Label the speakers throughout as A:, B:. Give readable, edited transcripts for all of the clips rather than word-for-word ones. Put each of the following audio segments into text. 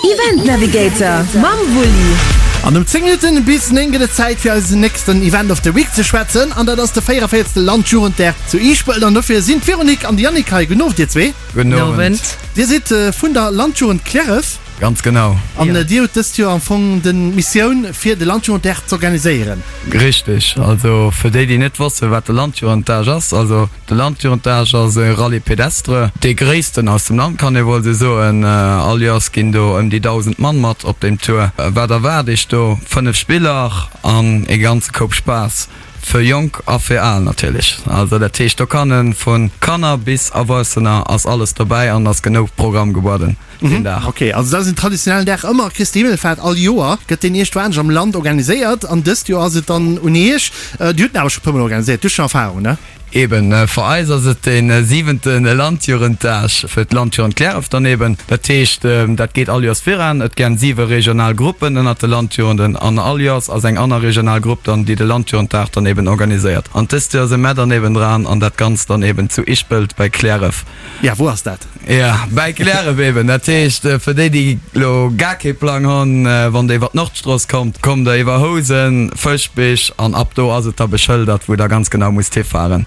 A: Event Navigator mam Wulli.
B: An um 10 Minutten bis 9 gëtt et Zäit fir eisen nächsten Event of the Week ze schwätzen an dat ass de 44. Landjugenddag zu Ischpelt an dofir sinn d'Véronique an de Yannick hei. Gudden Owend dir zwee.
C: Gudden Owend.
B: Dir sidd vun der Landjugend Cliärref.
C: Ganz genau.
B: An dir hutt dëst Joer am Fong den Missioun fir de Landjugenddag z'organiséieren.
C: Richteg. Also fir déi déi net wossen wat de Landjugenddag ass, also de Landjugenddag ass e Rallye pédestre, dee gréissten aus dem Land kann ee wuel sou soen. All Joers ginn do ëm déi 1.000 Mann mat op deem Tour. Wat erwaart iech do? 5 Spiller an ee ganze Koup Spaass. Fir Jonk a fir Al natierlech. Also dat heescht do kann e vu Kanner bis Erwuessener ass alles dobäi an ass genou Programm gebueden.
B: deen Dag. Ok, also dat ass en traditionellen Dag ëmmer, Christi Himmelfahrt, all Joer gëtt deen iergendwou am Land organiséiert an dëst Joer ass et dann un Iech. Dir hutt en awer scho e puer Mol organiséiert, du hues schonn Erfahrung, ne?
C: Eben, fir eis ass et dee siwente Landjugenddag, fir d'Landjugend Cliärref dann eben. Dat heescht, dat geet all Joers viran. Et gän siwe regional Gruppen ënnert de Landjugenden an all Joers ass eng aner regional Grupp dann, déi de Landjugenddag dann eben organiséiert. An dëst Joer si mär dann eben dran an dat Ganzt dann eben zu Ischpelt bei Cliärref.
B: Ja, wou ass dat?
C: Ja, bäi Cliärref eben. Dat heescht, fir déi, déi elo gar kee Plang hunn, wann Der iwwer d'Nordstrooss kommt, kommt Der iwwer Housen, Fëschbich an ab do ass et da beschëldert, wou Der ganz genau musst hifahren.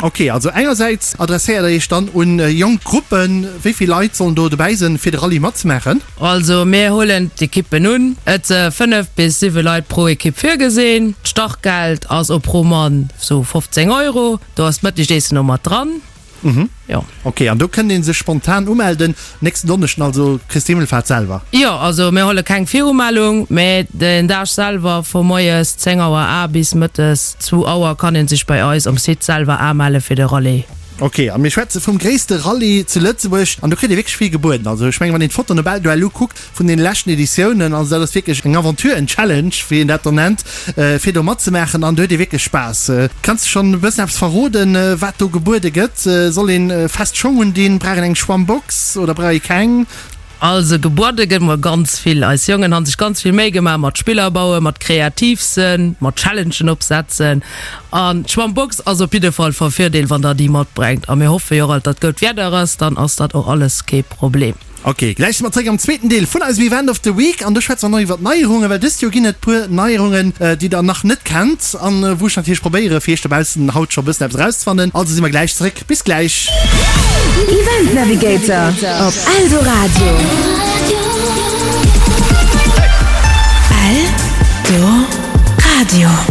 B: Ok, also engersäits adresséiert Der Iech dann un jonk Gruppen. Wéi vill Leit sollen do dobäi sinn, fir de Rallye matzemaachen?
D: Also mir huelen d'Ekippen un. Et se 5 bis 7 Leit pro Ekipp virgesinn. D'Startgeld ass o pro Mann sou 15 Euro. Do ass d'Mëttegessen o mat dran.
B: Mhm. Jo. Ok, an do kënnt ee sech spontan umelden, nächsten Donneschden, also Christi Himmelfahrt selwer?
D: Jo, also mir huele keng Virumellung, mä den Dag selwer vu moies 10 Auer a bis mëttes zwou Auer kann ee sech bei eis um Site selwer amelle fir de Rallye.
B: Ok, a mir schwätze vum gréisste Rallye zu Lëtzebuerg an do kritt ee wierklech vill gebueden. Also ech mengen, wann een d'Fotoen op Eldoellu kuckt, Vun den leschten Editiounen, also dat ass wierklech eng Aventure, en Challenge, wéi een dat dann nennt, fir do matzemaachen an do huet ee wierklech Spaass. Kanns de schonn e bëssen eppes verroden, wat do gebuede gëtt? Soll een fest Schong undinn? Brauch een eng Schwammbox oder brauch ee keng?
D: Also gebuede gëtt mol ganz vill. Eis Jongen han sech ganz vill Méi gemaach mat Spiller bauen, mat kreativ sënn, mat Challengen opsetzen. An d'Schwammbox ass op jidde Fall vu Virdeel, wann der déi matbrengt. A mir hoffe jo och alt, datt goud Wieder ass, dann ass dat och alles kee Problem.
B: Ok, gläich si mer zréck am zweeten Deel vun eisem Event of the Week an do schwätze mer nach iwwer d'Neierungen, well dëst Joer ginn et puer Neierungen, déi der nach net kennt an wou ech natierlech probéiere fir iech dobaussen haut scho bëssen eppes erauszefannen. Also si mer gläich zréck. Bis gläich!
A: Event Navigator op Eldoradio. Eldoradio.